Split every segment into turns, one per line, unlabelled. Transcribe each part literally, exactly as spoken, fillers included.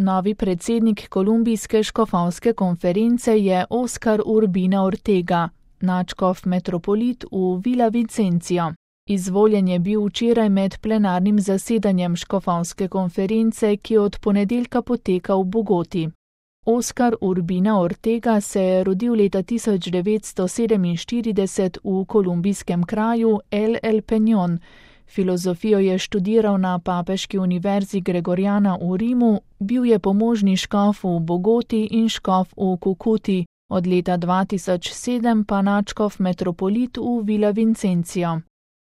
Novi predsednik Kolumbijske škofovske konference je Oscar Urbina Ortega, nadškof metropolit v Villavicencio. Izvoljen je bil včeraj med plenarnim zasedanjem škofovske konference, ki od ponedeljka poteka v Bogoti. Oscar Urbina Ortega se je rodil leta tisoč devetsto sedeminštirideset v kolumbijskem kraju El El Peñón. Filozofijo je študiral na Papeški univerzi Gregoriana v Rimu, bil je pomožni škof v Bogoti in škof v Cucuti, od leta dva tisoč sedem pa nadškof metropolit v Villavicencio.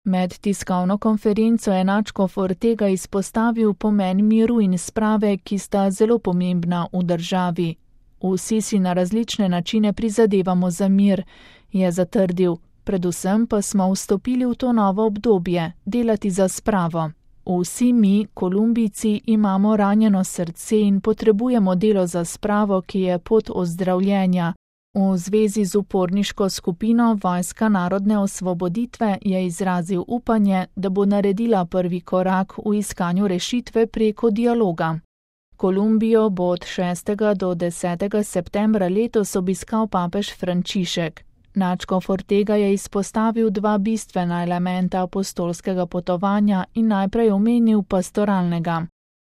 Med tiskovno konferenco je nadškof Ortega izpostavil pomen miru in sprave, ki sta zelo pomembna v državi. Vsi si na različne načine prizadevamo za mir, je zatrdil, predvsem pa smo vstopili v to novo obdobje, delati za spravo. Vsi mi, Kolumbijci, imamo ranjeno srce in potrebujemo delo za spravo, ki je pot ozdravljenja. V zvezi z uporniško skupino Vojska narodne osvoboditve je izrazil upanje, da bo naredila prvi korak v iskanju rešitve preko dialoga. Kolumbijo bo od šestega do desetega septembra letos obiskal papež Frančišek. Nadškof Ortega je izpostavil dva bistvena elementa apostolskega potovanja in najprej omenil pastoralnega.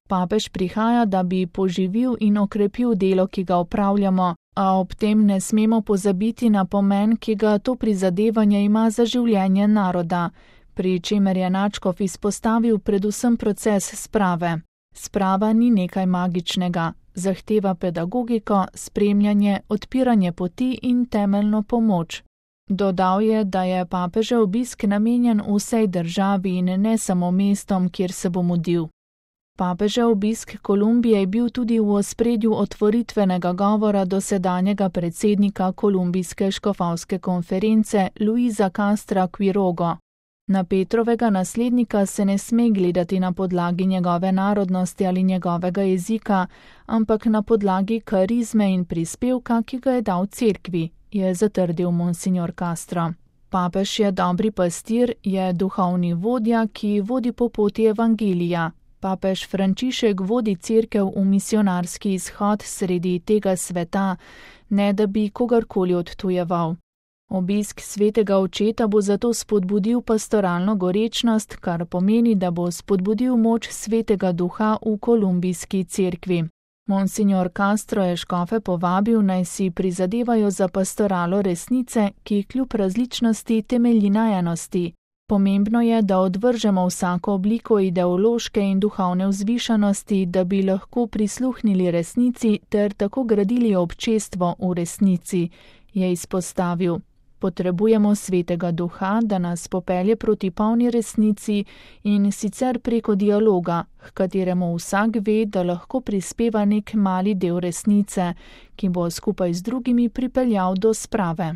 Papež prihaja, da bi poživil in okrepil delo, ki ga opravljamo, a ob tem ne smemo pozabiti na pomen, ki ga to prizadevanje ima za življenje naroda, pri čemer je nadškof izpostavil predvsem proces sprave. Sprava ni nekaj magičnega, zahteva pedagogiko, spremljanje, odpiranje poti in temeljno pomoč. Dodal je, da je papežev obisk namenjen vsej državi in ne samo mestom, kjer se bo mudil. Papežev obisk Kolumbije je bil tudi v ospredju otvoritvenega govora dosedanjega predsednika Kolumbijske škofovske konference Luisa Castra Quirogo. Na Petrovega naslednika se ne sme gledati na podlagi njegove narodnosti ali njegovega jezika, ampak na podlagi karizme in prispevka, ki ga je dal cerkvi, je zatrdil monsignor Castro. Papež je dobri pastir, je duhovni vodja, ki vodi po poti evangelija. Papež Frančišek vodi cerkev v misionarski izhod sredi tega sveta, ne da bi kogarkoli odtujeval. Obisk svetega očeta bo zato spodbudil pastoralno gorečnost, kar pomeni, da bo spodbudil moč svetega duha v kolumbijski cerkvi. Monsignor Castro je škofe povabil, naj si prizadevajo za pastoralo resnice, ki kljub različnosti temelji na enosti. Pomembno je, da odvržemo vsako obliko ideološke in duhovne vzvišenosti, da bi lahko prisluhnili resnici ter tako gradili občestvo v resnici, je izpostavil. Potrebujemo svetega duha, da nas popelje proti polni resnici in sicer preko dialoga, h kateremu vsak ve, da lahko prispeva nek mali del resnice, ki bo skupaj z drugimi pripeljal do sprave.